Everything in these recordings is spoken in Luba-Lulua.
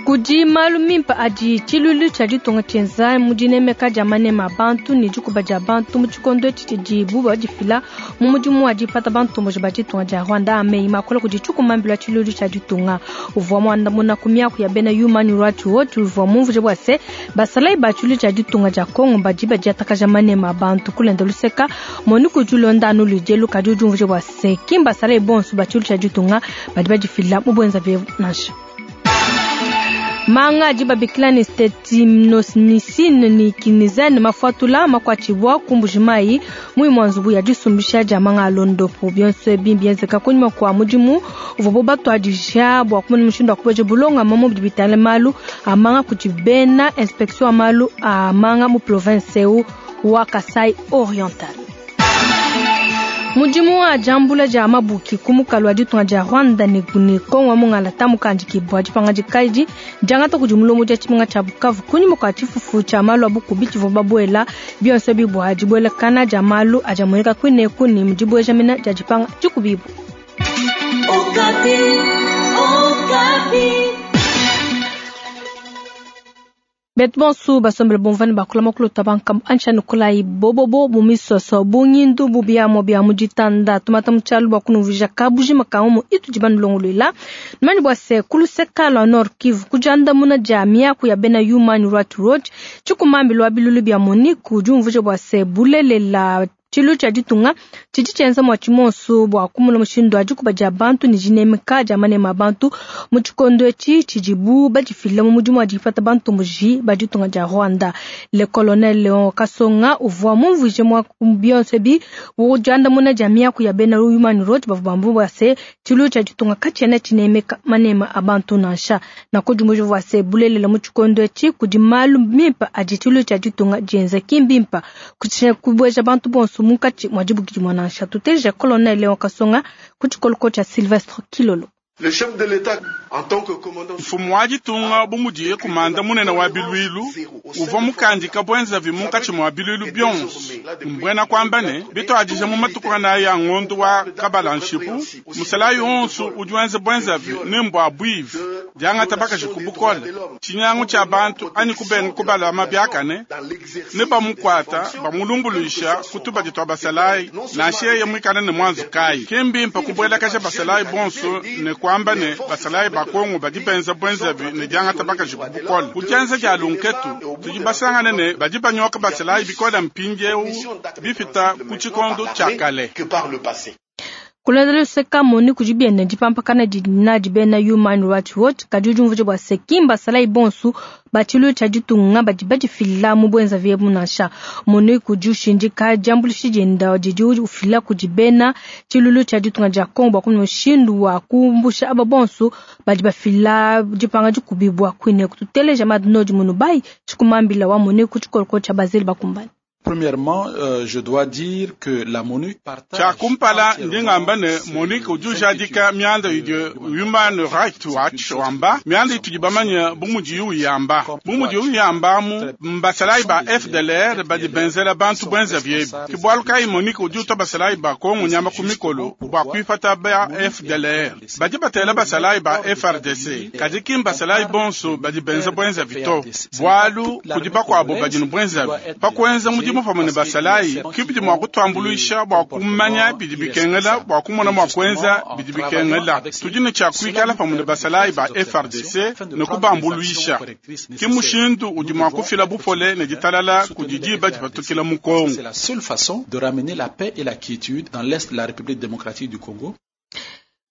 Kudi malu mimpe adi tshiluilu tshia ditunga tshienza mu dinemeka dia maneme a bantu ne dikuba dia bantu mu tshikondo etshi tshidibu badifila mu mudimu wa dipata bantomboji ba ditunga dia Rwanda. A meyi makola kudi tshikumambilu wa tshiluilu tshia ditunga uvua muandamuna ku miaku ya bena Human Rights Watch uvua mumvuje bua se basalayi ba tshiluilu tshia ditunga dia Congo badi badiatakaja maneme a bantu. Kulenda luseka Monique udi ulonda anu luidi kadi udi umvuija bua se ki mbasalayi bonso ba tshiluilu tshia ditunga badi badifila mu buenzavi nansha. Manga adi babikila ne stetinosmicine ne kinizene mafuatula makuatshibua ku Mbujimayi mu imua nzubu ya disumbisha dia manga a londopu. Bionso ebi mbienzeka kunyima kua mudimu uvuabu batuadija bua kumona mushindu wa kubeja bulongama mu bidi bitangila malu a manga kudi bena inspection wa malu a manga mu province eu wa Kasai Oriental. Mudimu wa diambula dia mabuki ku mukalu wa ditunga dia Rwanda ne Congo wa mungalata mukandikibua dipangadika edi diangata kudi mulombodi wa tshimenga tshia Bukavu kunyima kua tshifufu tshia malu a bukubi tshivua babuela bionso ebi bua dibuelakana dia malu adi amueneka kuineku ne mu dibueja mena dia dipanga dikubibua. Okapi, Okapi. Betu bonso basombele bumvua ne bakula makulu bankamu ansha nukulayi bobobo mu misoso bungindu bu biamua bia mu ditanda tumata mu tshialu bua kunumvuija kabujima ka umu itudi banulongoluela numanye bua se ku luseka lua Nord Kivu ku diandamuna dia miaku ya bena Human Rights Watch tshikumambi lua bilulu bia Monique udi umvuija bua se bulelela tshilu tshia ditunga tshidi tshienza mua tshimonso bua kumona mushindu wa dikuba dia bantu ne dinemeka dia maneme a bantu mu tshikondo etshi tshidibu badifila mu mudimu wa dipata bantomboji ba ditunga dia Rwanda. Le colonel Leon Kasonga uvua mumvuije mua bionso ebi bu diandamuna dia miaku ya bena Human Rights bavua bamba bua se tshilu tshia ditunga katshiena tshinemeka maneme a bantu nansha. Nakudimuija bua se bulelela mu tshikondo etshi kudi malu mimpe adi tshilu tshia ditunga dienza ki mbimpe kubueja bantu bonso munkatshi mua dibuki dimue nansha. Tuteja colonel Leon Kasonga ku tshikoloko tshia Sylvestre Kilolo. Le chef de l'État, en tant que commandant mfumu wa ditunga bu mudiye kumanda munene wa bilwilu uvua mukandika bwenzavi munkatshi mua bilwilu bionso mbwena kwamba ne bituadija mu matuku anayi ya ngondu wa kabalanshipu musalayi onso udi wenza bwenzavi ne mbua bwivi diangata bakaji ku bukole tshinyangu tshia bantu anyi kubenga kubalama biakane ne bamukwata bamulumbuluisha ku tubadi twa basalayi nansha yeye muikale ne mwanzu kayi ki mbimpe kubuelakaja basalayi bonso ne kwamba ne basalayi ba Kongo badi benza bwenzavi ne diangata bakaji ku bukole. Ku dienza dia lunketu tudi basangane ne badi banyoka basalayi bikole mpindiewu bipita ku tshikondo tshia kale. que par le passé. Kulonda luseka Monique udi bienda dipampakana didi nadi bena Human Rights Watch kadi udi umvuija bua se ki mbasalayi bonso ba tshiluilu tshia ditunga badi badifila mu buenzavi ebu nansha. Monique udi ushindika diambuluisha dienda didi ufila kudi bena tshiluilu tshia ditunga dia Congo bua kumona mushindu wa kumbusha aba bonso badi bafila dipanga dikubibua kuine. Kututeleja Madnodi Munubai tshikumambila wa Monique ku tshikoloko tshia Bazeli bakumbane. Premièrement, je dois dire que la MONUC partage Tshia kumpala ndi ngamba ne Monique udi ujadika mianda idi Human Rights Watch wamba mianda itudi bamanye bu mudiyi uyamba bu mudiyi uyambamu mbasalayi ba FDLR badi benzela bantu bwenzavi ebi ke bualu kayi Monique udi utua basalayi ba Kongo nyama ku mikolo bua kuipata ba FDLR badi batela basalayi ba FARDC kadi ki mbasalayi bonso badi benza bwenzavi to bualu kudi bakuabo badi ne bwenzavi pa kuenza mudimu pamue ne basalayi ki bidi mua kutuambuluisha bua kumanya bidi bikengela bua kumona mua kuenza bidi bikengela. Tudi ne tshia kuikala pamue ne basalayi ba FARDC ne kubambuluisha ki mushindu udi mua kufila bupole ne ditalala kudi diba dipatukila mu Kongo. C'est la seule façon de ramener la paix et la quiétude dans l'est de la République démocratique du Congo.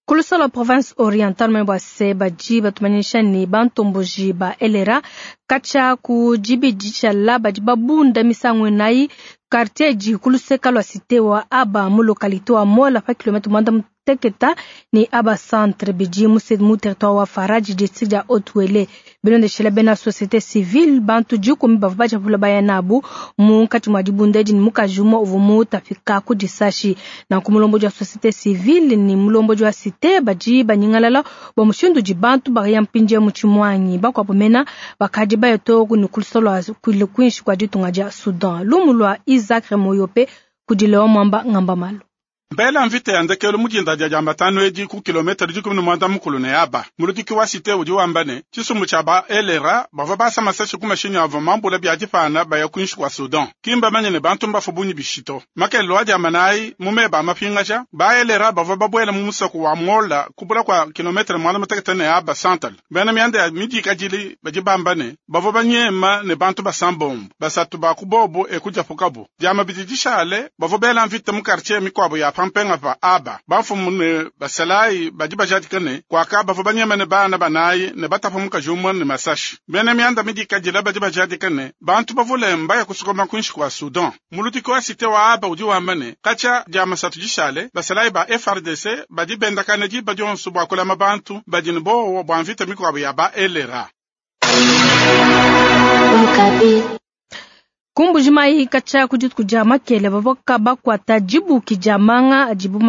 Ku lusala province orientale mwe bua se badi batumanyisha ne bantomboji ba elera katshia ku dibidi tshiala badi babunda misangu inayi quartier di ku luseka lua cité wa aba mu localité wa Mola pa kilomètre mwanda muteketa ne aba centre bidi mu mu territoire wa Faraji district dia Haut-Uele. Bilondeshela bena société civile bantu dikumi bavua badiapula baya nabu munkatshi mua dibunda edi ne mukaji umue uvua mutapika ku disashi. Nanku mulombodi wa société civile ne mulombodi wa cité badi banyingalala bua mushindu udi bantu baya mpindieu mu tshimuangi bakuabu mena bakadi baya too ne ku luseke lua kuinshi kua ditunga dia Soudan. Lumu lua Isaac Moyope kudi Leon Mwamba Ngamba Malu. Mbela mvita ya ndekelu mu dinda dia diambatanu edi ku kilometre 19 ne aba. Muludiki wa cité udi wamba ne tshisumbu tshia ba LRA bavua basa masasi ku mashinyi avua mambula bia dipana baya kuinshi kua Sudan. Kimba manye ne bantu mbafu bunyi bishito. Makelelo adi amanayi mu meba amapingaja ba LRA bavua babuela mu musoko wa Mola kubula kwa kilometre 36 ne aba central. Bena mianda ya midikadili badi bamba ne bavua banyema ne bantu basambombo basatu ba kubobo ekujapukabu. Diama bidi dishale bavua bela mvita mu quartier mikwabo ya pampenga pa aba. Bamfumu ne basalayi badi bajadika ne kwaka bavua banyema ne bana banayi ne batapa mukaji umwe ne masashi. Bena mianda midikadila badi bajadika ne bantu bavule mbaya kusukoma kuinshi kwa Sudan. Muludiki wa cité wa aba udi wamba ne katshia diama satu dishale basalayi ba FARDC badi bendakana diba dionso bua kulama bantu badi ne bowa bua mvita mikwabo ya ba LRA. Kumbujimayi katshia ku dituku dia makele bavoka bakwata dibuki dia manga dibu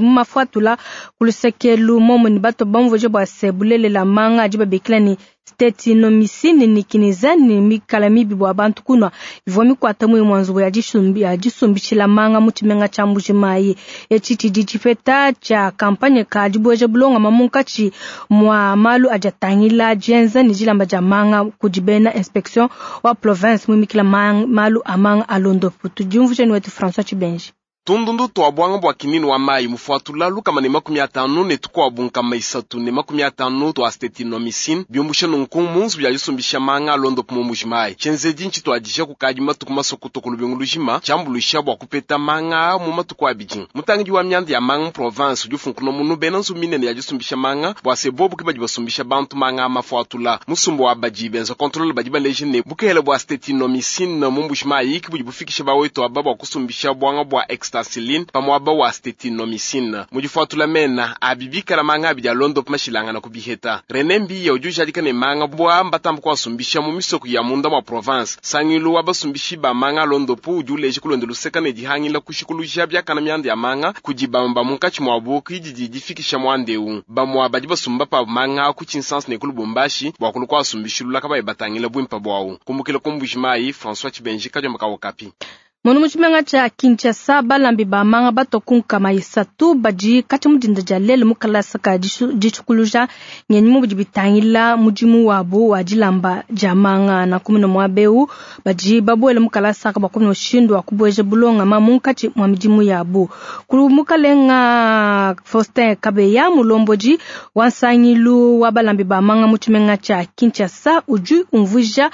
mafuatula ku lusekelu momo ni bato bamvuje bua se bulelela manga adi babikila ni stetinomycine ni kinizani mikala mibi bua bantu kunwa ivua mikwata mui mwanzubu ya disumbishila manga mu tshimenga tshia Mbujimayi. Etshi tshidi tshipeta tshia kampanye ka dibueja bulonga munkatshi mwa malu adi atangila dienza ne dilamba dia manga kudi bena inspection wa province muimikila malu a manga alondopo. Tudiumvuje ni wetu François Chibenji. Tundundu twa bwanga bwa kinini wa mayi mufuatula lukama ne 50 ne tukwabu nkama 3 ne 50 twa stetinomycine biumbusha nunku munzu bya disumbisha manga alondopo mu Mbujimayi. Tshenzedi ntshi tuadija kukadi matuku masokotoko lubingu lujima tshiambuluisha bua kupeta manga mu matuku abidi. Mutangidi wa mianda ya manga mu province udi ufunkuna munu bena nzu minene ya disumbisha manga bua se bobu ke badi basumbisha bantu manga mafuatula. Musumbu wa badi benza contrôle badi baleje ne bukehela bua stetinomycine mu Mbujimayi ki budi bufikisha bawetu aba bua kusumbisha bwanga bua extra Celine pamuaba wa stetinomycine. Mudifuatula mena abibikala manga abidi alondopo mashilangana kubiheta. René Mbiya udi ujadika ne manga bua mbatambu kuasumbisha mu misoko ya munda mwa province. Sangilu wa basumbishi ba manga alondopo udi uleje kulonda luseka ne dihangila kushikuluja biakana mianda ya manga kudi bamba munkatshi mwabu kididi difikisha mwandeu. Bamwa badi basumba pa manga ku Tshinsansa ne ku Lubumbashi bua kulu kuasumbishilula kabayi batangila bwimpa bwawu. Kumbukila ku Mbujimayi, François Chibenji kadiomba ka Okapi. Mono mu tshimenga tshia Kinshasa balambi ba manga bato kunkama 3 badi katshia mudinda dia lelu mu kalasa ka ditshukuluja ngenyi mu bidi bitangila mudimu wabu wa dilamba dia manga na kumuna mwabeu badi babuela mu kalasa ka bakumuna mushindu wa kubueja bulonga ma munkatshi mwa midimu yabu. Ku mukalenga Faustin Kabeya mulomboji wa nsangilu wa balambi ba manga mu tshimenga tshia Kinshasa udi umvuija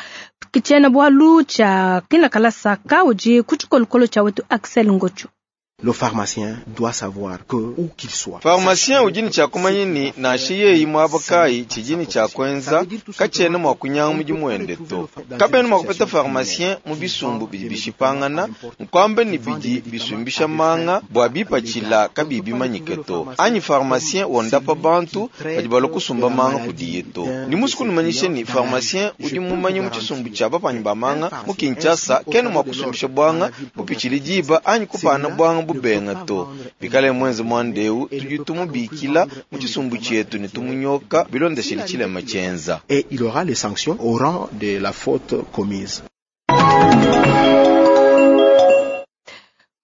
kitshiena bwalu tshia kina kalasa ka udi ku tshikolokolo tshia wetu Axel Ngocho. Le pharmacien doit savoir que où qu'il soit. Pharmacien ujini cha kumanyini na shiye imwabakai chijini cha kwenza kachene mwa kunyanga muji muende to. Kabeni mwa kupeta pharmacien mu bisumbu bidi bishipangana nkwambe ni bidi bisumbisha manga bwa bipachila kabibi manyike to. Anyi pharmacien wondapa bantu badi balokusumba manga kudiye to. Ni musuku numanyishe ni pharmacien udi mumanyi mu chisumbu cha bapanyi ba manga mu Kinshasa kene mwa kusumbisha bwanga bupichili diba anyi kupana bwanga bubenga to. Bikale mwenze mwandeu tudi tumubikila mu chisumbu chetu ne tumunyoka bilondeshele chilema chenza. Et il aura les sanctions au rang de la faute commise.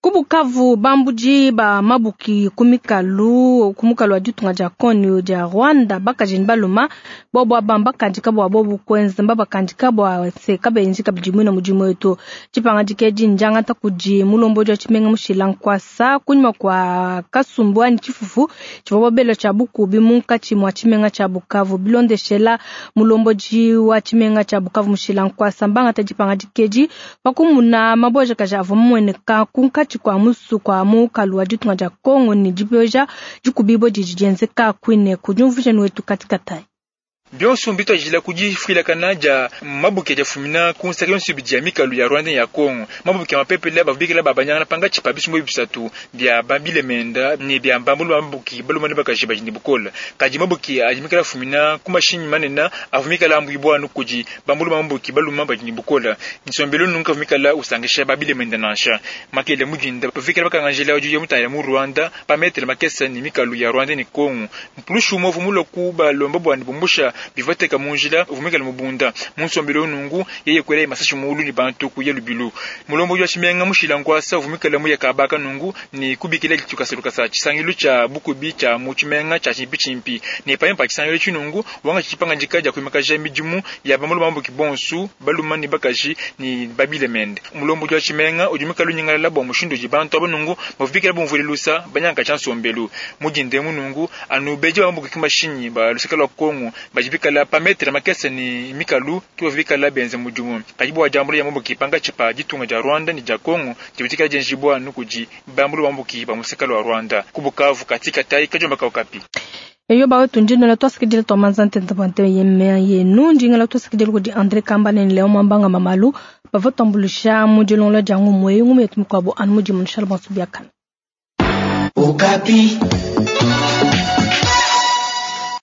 Kubukavu bambuji ba mabuki kumikalu kumukalu wa ditunga dia Kongo dia Rwanda bakajini baluma bobo abamba kandika bwa bobu kwenza mbaba kandika bwa seka benji kabidi na mudimu wetu chipanga dikeji njanga takuji mulombo wa chimenga mushila nkwasa kunyuma kwa kasumbu ani chifufu chivobobelo cha bukubi munkachi mwa chimenga cha Bukavu bilondeshela mulomboji wa chimenga cha Bukavu mushila nkwasa mbanga tajipanga dikeji pakumuna maboja kaja avumweneka kunkachi kwa musu kwa mukalu wa ditunga dia Kongo ni dibeja dikubibo didi dienzeka kwine kunyumvuje wetu katika tai Bionso mbitwajila kudifwilakana dia mabuke dia fumina kunsaka yonso bidi mikalu ya Rwanda ya Kongo. Mabuke mapepele bavubikila babanyangana panga tshipa bisumbu bisatu bia bambile menda ne bia mbambulu mabuki balumane bakaji badi ne bukola. Kadi mabuke adi mikala fumina ku mashinyi manene avumikala ambwibwa anu kudi bambulu mabuki baluma badi ne bukola. Nsombelo nunka vumikala usangisha babile menda nansha. Makele mujinda bavikela bakangajela udi ya mutaya mu Rwanda pa metre makesa ni mikalu ya Rwanda ne Kongo. Mplushu movu muloku balomba bwani bumbusha Bivua teka mu njila uvua muikale mubunda mu nsombelu nungu yeye kwela masashi muulu ni bantu kuya lubilu. Mulombodi wa tshimenga mushila nkwasa uvua muikale muya kabaka nungu ni kubikila ditukasa lukasa tshisangilu tsha bukubi tsha mu tshimenga tsha tshimpi tshimpi ne panyima pa tshisangilu tshinungu wanga tshipangandika dia kuimakaja midimu ya bamulu bambuki bonsu baluma ni bakaji ni babile mende. Mulombodi wa tshimenga udi muikale unyingalala bua mushindu udi bantu aba nungu bavuikila bumvule lusa banyanga tsha nsombelu mudinde munungu anu beji bambuki kimashinyi ba luseka lwa Kongo bajibikala pa metre makese ni mikalu kibavikala benze mudimu kadi bua jambula ya mambuki panga tshipa ditunga dia Rwanda ni dia Kongo dibitikala dienjibwa nukuji bambulu bambuki ba museka lwa Rwanda kubukavu katika tai kajomba kaukapi. Eyo bawe tunjinela twasikidile twamanza ntente bwante yemea yenu njingela twasikidile kudi André Kambale ni Leo Mwambanga Mamalu bava twambulusha mu dilongolo dia ngumu eyi ngumu yetu mikuabo anu mudi munishala bonso biakana. Okapi.